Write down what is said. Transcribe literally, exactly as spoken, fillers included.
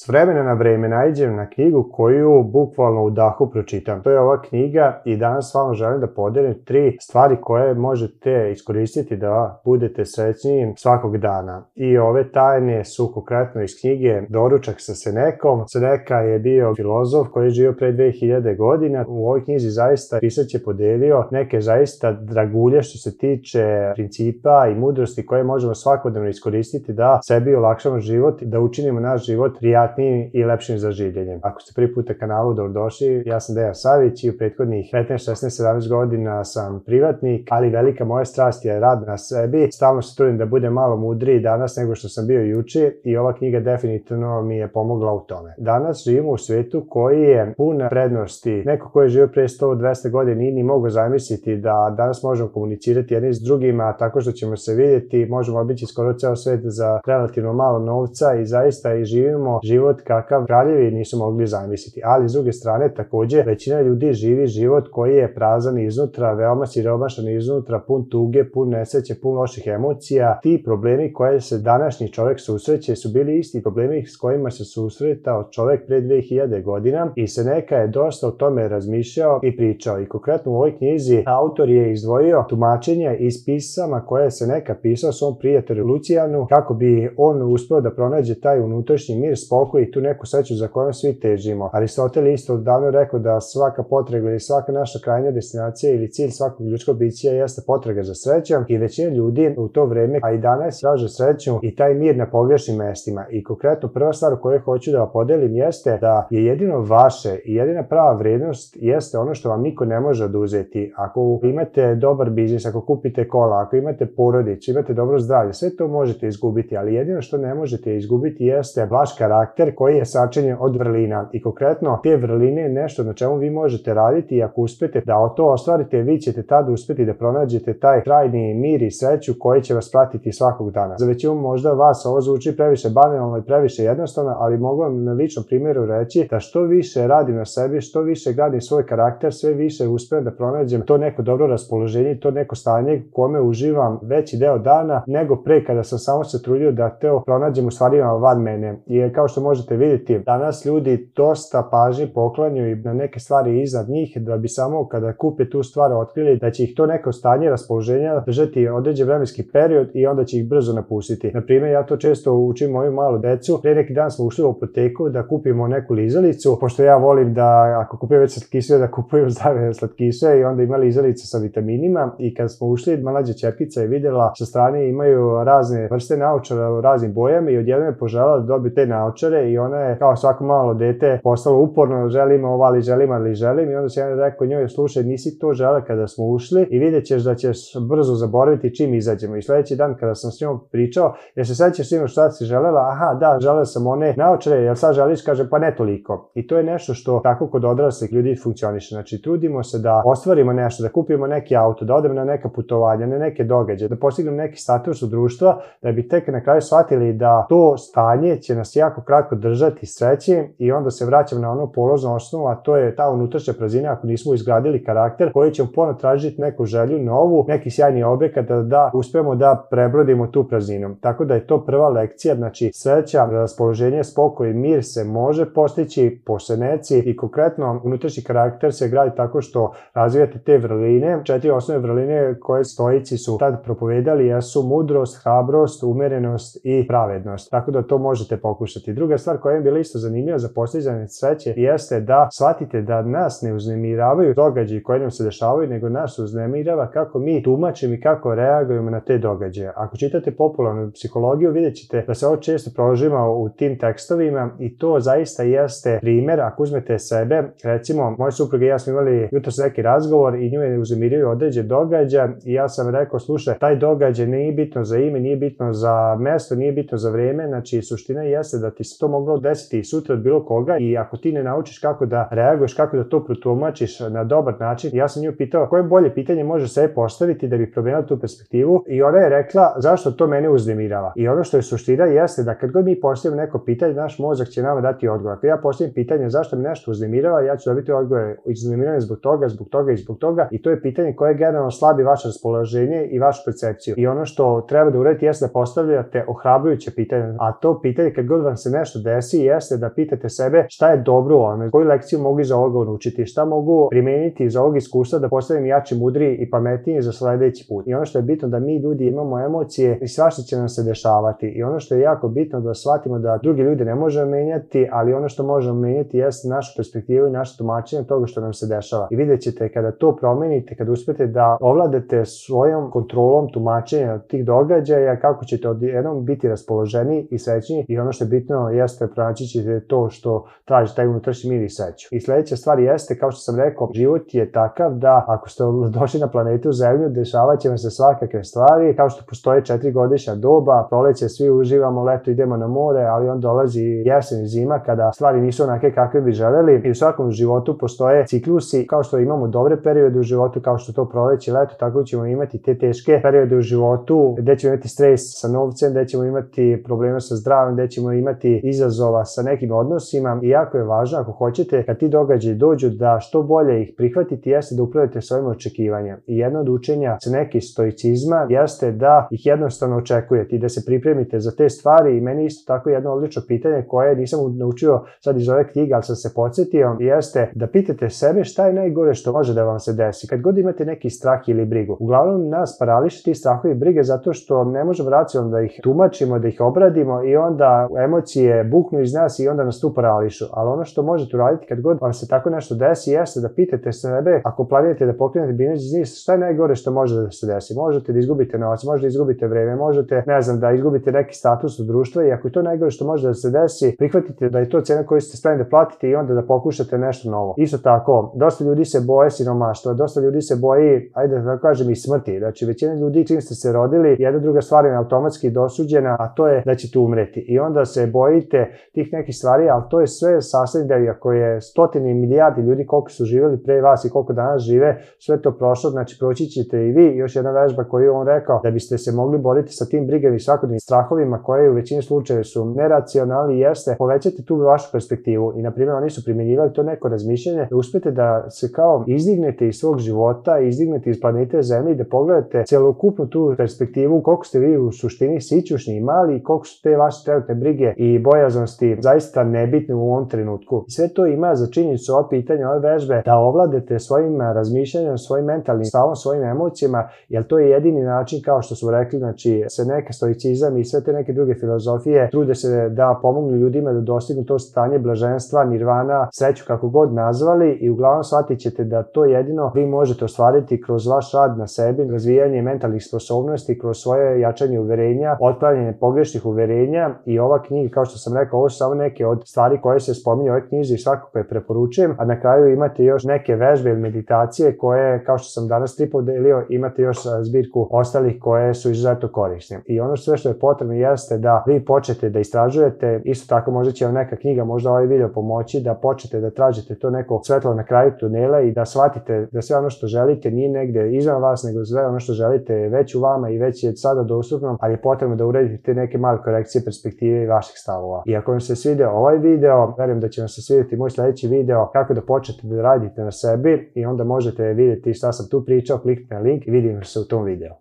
S vremena na vreme naiđem na knjigu koju bukvalno u dahu pročitam. To je ova knjiga i danas s vama želim da podelim tri stvari koje možete iskoristiti da budete srećniji svakog dana. I ove tajne su konkretno iz knjige Doručak sa Senekom. Seneka je bio filozof koji je živio pre dve hiljade godina. U ovoj knjizi zaista pisac je podelio neke zaista dragulje što se tiče principa i mudrosti koje možemo svakodnevno iskoristiti da sebi olakšamo život i da učinimo naš život prijatnijim i lepšim za življenje. Ako ste prvi put na kanalu, dobrodošli. Ja sam Dejan Savić i u prethodnih petnaest, šesnaest, sedamnaest godina sam privatnik, ali velika moja strast je rad na sebi. Stalno se trudim da budem malo mudriji danas nego što sam bio juče i ova knjiga definitivno mi je pomogla u tome. Danas živimo u svetu koji je pun prednosti. Neko ko je živio pre sto do dvesta godina nije ni mogao zamisliti da danas možemo komunicirati jedni s drugima tako što ćemo se vidjeti, možemo obići skoro ceo svet za relativno malo novca i zaista i živimo život kakav kraljevi nisu mogli zamisliti. Ali s druge strane takođe većina ljudi živi život koji je prazan iznutra, veoma siromašan iznutra, pun tuge, pun nesreće, pun loših emocija. Ti problemi koje se današnji čovek susreće su bili isti problemi s kojima se susretao čovek pre dve hiljade godina i Seneka je dosta o tome razmišljao i pričao. I konkretno u ovoj knjizi autor je izdvojio tumačenje iz pisama koje je Seneka pisao svom prijatelju Lucijanu kako bi on uspeo da pronađe taj unutrašnji mir, spokoj i tu neku sreću za kojom svi težimo. Aristotel isto davno rekao da svaka potraga ili svaka naša krajnja destinacija ili cilj svakog ljudskog bića jeste potraga za srećom i većina ljudi u to vreme, a i danas, traže sreću i taj mir na pogrešnim mestima. I konkretno prva stvar koju hoću da vam podelim jeste da je jedino vaše i jedina prava vrednost jeste ono što vam niko ne može oduzeti. Ako imate dobar biznis, ako kupite kola, ako imate porodicu, imate dobro zdravlje, sve to možete izgubiti, ali jedino što ne možete izgubiti jeste vaš karakter koji je sačinjen od vrlina. I konkretno te vrline je nešto na čemu vi možete raditi i ako uspete da to ostvarite, vi ćete tada uspeti da pronađete taj trajni mir i sreću koji će vas pratiti svakog dana. Za većinu možda vas ovo zvuči previše banalno i previše jednostavno, ali mogu vam na ličnom primjeru reći da što više radim na sebi, što više gradim svoj karakter, sve više uspem da pronađem to neko dobro raspoloženje, to neko stanje u kome uživam veći deo dana nego pre kada sam samo se trudio da to pronađem u stvarima van mene. I kao što možete vidjeti, danas ljudi dosta pažnje poklanjaju na neke stvari iznad njih da bi samo kada kupe tu stvar otkrili da će ih to neko stanje raspoloženja držati određen vremenski period i onda će ih brzo napustiti. Na primjer, ja to često učim moju malu decu. Pre neki dan smo ušli u apoteku da kupimo neku lizalicu, pošto ja volim da ako kupujem već slatkiše da kupujem zdrave slatkiše i onda ima lizalica sa vitaminima i kad smo ušli, mlađa ćerkica je videla sa strane imaju razne vrste naočara u raznim bojama i odjednom je poželjela da dobije te naočare i ona je kao svako malo dete postalo uporno, želim ovo, ali želim, ali želim i onda se ja rekao njoj, slušaj, nisi to žele kada smo ušli i vidjet ćeš da ćeš brzo zaboraviti čim izađemo. I sledeći dan kada sam s njom pričao, jer se sećaš sino šta si želela, aha da, želeo sam one naočare, jel sad želiš, kaže pa ne toliko. I to je nešto što tako kod odraslih ljudi funkcioniše. Znači trudimo se da ostvarimo nešto, da kupimo neki auto, da odemo na neka putovanja, na neke događaje, da postignemo neki status u društva, da bi tek na kraju shvatili da to stanje će nas jako kratko držati sreće i onda se vraćam na ono polaznu osnovu, a to je ta unutrašnja praznina ako nismo izgradili karakter koji ćemo ponovo tražiti neku želju novu, neki sjajni objekat da, da uspemo da prebrodimo tu prazninu. Tako da je to prva lekcija, znači sreća, raspoloženje, spokoj i mir se može postići po Seneci i konkretno unutrašnji karakter se gradi tako što razvijate te vrline. Četiri osnovne vrline koje stoici su tad propovedali jesu mudrost, hrabrost, umerenost i pravednost. Tako da to možete pokušati. Druga stvar koja je bila isto zanimljiva za postizanje sreće jeste da shvatite da nas ne uznemiravaju događaji koji nam se dešavaju, nego nas uznemirava kako mi tumačimo i kako reagujemo na te događaje. Ako čitate popularnu psihologiju, vidjet ćete da se ovo često prožima u tim tekstovima i to zaista jeste primer. Ako uzmete sebe, recimo, moja supruga i ja smo imali jutros neki razgovor i nju je uznemirio određen događaj i ja sam rekao, slušaj, taj događaj nije bitno za ime, nije bitno za mesto, nije bitno za vreme, znači suština jeste da ti se to moglo desiti i sutra od bilo koga i ako ti ne naučiš kako da reaguješ, kako da to protumačiš na dobar način, ja sam nju pitao koje bolje pitanje može sebe postaviti da bi promenila tu perspektivu i ona je rekla zašto to mene uznemirava. I ono što je suština jeste da kad god mi postavimo neko pitanje, naš mozak će nama dati odgovor. Ako ja postavim pitanje zašto me nešto uznemirava, ja ću dobiti odgovor uznemiranje zbog toga, zbog toga i zbog toga i to je pitanje koje generalno slabi vaše raspoloženje i vašu percepciju. I ono što treba da uradite jeste da postavljate ohrabrujuće pitanje, a to pitanje kad god vam se nešto nešto desi jeste da pitate sebe šta je dobro u ovome, koju lekciju mogu iz ovoga naučiti, šta mogu primeniti iz ovog iskustva da postavim jači, mudriji i pametniji za sledeći put. I ono što je bitno da mi ljudi imamo emocije i svašta će nam se dešavati. I ono što je jako bitno da shvatimo da drugi ljudi ne možemo menjati, ali ono što možemo menjati jeste našu perspektivu i naše tumačenje toga što nam se dešava. I vidjet ćete kada to promenite, kada uspete da ovladate svojom kontrolom tumačenja tih događaja, kako ćete odjednom biti raspoloženi i srećni i ono što je bitno jeste pronaći ćete to što traži taj unutrašnji mir i sreću. I sledeća stvar jeste, kao što sam rekao, život je takav da ako ste došli na planetu Zemlju, dešavat će vam se svakakve stvari, kao što postoje četiri godišnja doba, proleće svi uživamo, leto idemo na more, ali onda dolazi jesen i zima kada stvari nisu onake kakve bi želeli i u svakom životu postoje ciklusi, kao što imamo dobre periode u životu, kao što to proleće, leto, tako ćemo imati te teške periode u životu, gde ćemo imati stres sa novcem, gde ćemo imati probleme sa zdravljem, gde ćemo imati izazova sa nekim odnosima i jako je važno ako hoćete kad ti događaji dođu da što bolje ih prihvatiti jeste da upravite svojim očekivanjem. I jedno od učenja sa neki stoicizma jeste da ih jednostavno očekujete i da se pripremite za te stvari i meni isto tako jedno odlično pitanje koje nisam naučio sad iz ove knjige, ali sam se podsjetio, jeste da pitate sebe šta je najgore što može da vam se desi. Kad god imate neki strah ili brigu, uglavnom nas parališe ti strahovi i brige zato što ne možemo racionalno da ih tumačimo, da ih obradimo i onda emocije buknu iz nas i onda nas tu parališu. Ali ono što možete uraditi kad god vam se tako nešto desi jeste da pitate sebe, ako planirate da pokrenete biznis, šta je najgore što može da se desi? Možete da izgubite novac, možete da izgubite vreme, možete, ne znam, da izgubite neki status u društvu i ako je to najgore što može da se desi, prihvatite da je to cena koju ste spremni da platite i onda da pokušate nešto novo. Isto tako, dosta ljudi se boje siromaštva, dosta ljudi se boji, ajde da kažem, i smrti. Znači, većina ljudi čim ste se rodili, jedna druga stvar je automatski dosuđena, a to je da ćete umreti. I onda se bojite tih nekih stvari, ali to je sve sastavni deo, ako je stotine i milijardi ljudi koliko su živjeli pre vas i koliko danas žive, sve to prošlo, znači proći ćete i vi. Još jedna vežba koju je on rekao, da biste se mogli boriti sa tim brigama i svakodnevnim strahovima koje u većini slučajeva su neracionalni, jeste povećate tu vašu perspektivu i na primjer oni su primjenjivali to neko razmišljanje da uspete da se kao izdignete iz svog života, izdignete iz planete Zemlje i da pogledate celokupnu tu perspektivu koliko ste vi u suštini sićušni i mali i koliko su te vaše trenutne brige i bojaznosti zaista nebitne u ovom trenutku. Sve to ima za činjenicu ova pitanja, ove vežbe da ovladate svojim razmišljanjem, svojim mentalnim stavom, svojim emocijama, jer to je jedini način, kao što smo rekli, znači se neka stoicizam i sve te neke druge filozofije trude se da pomognu ljudima da dostignu to stanje blaženstva, nirvana, sreću kako god nazvali i uglavnom shvatit ćete da to jedino vi možete ostvariti kroz vaš rad na sebi, razvijanje mentalnih sposobnosti, kroz svoje jačanje uverenja, otklanjanje pogrešnih uverenja i ova knjiga, kao što sam rekao, ovo su samo neke od stvari koje se spominju u ovoj knjizi i svakako je preporučujem, a na kraju imate još neke vežbe ili meditacije koje, kao što sam danas tri podelio, imate još zbirku ostalih koje su izuzetno korisne. I ono sve što je potrebno jeste da vi počnete da istražujete, isto tako možda će vam neka knjiga, možda ovaj video pomoći da počnete da tražite to neko svetlo na kraju tunela i da shvatite da sve ono što želite nije negde izvan vas, nego sve ono što želite je već u vama i već je sada dostupno, ali je potrebno da uradite te neke male korekcije perspektive i vaših stavova. I ako vam se svidio ovaj video, verujem da će vam se svidjeti moj sledeći video kako da počnete da radite na sebi i onda možete vidjeti šta sam tu pričao, kliknite na link i vidimo se u tom videu.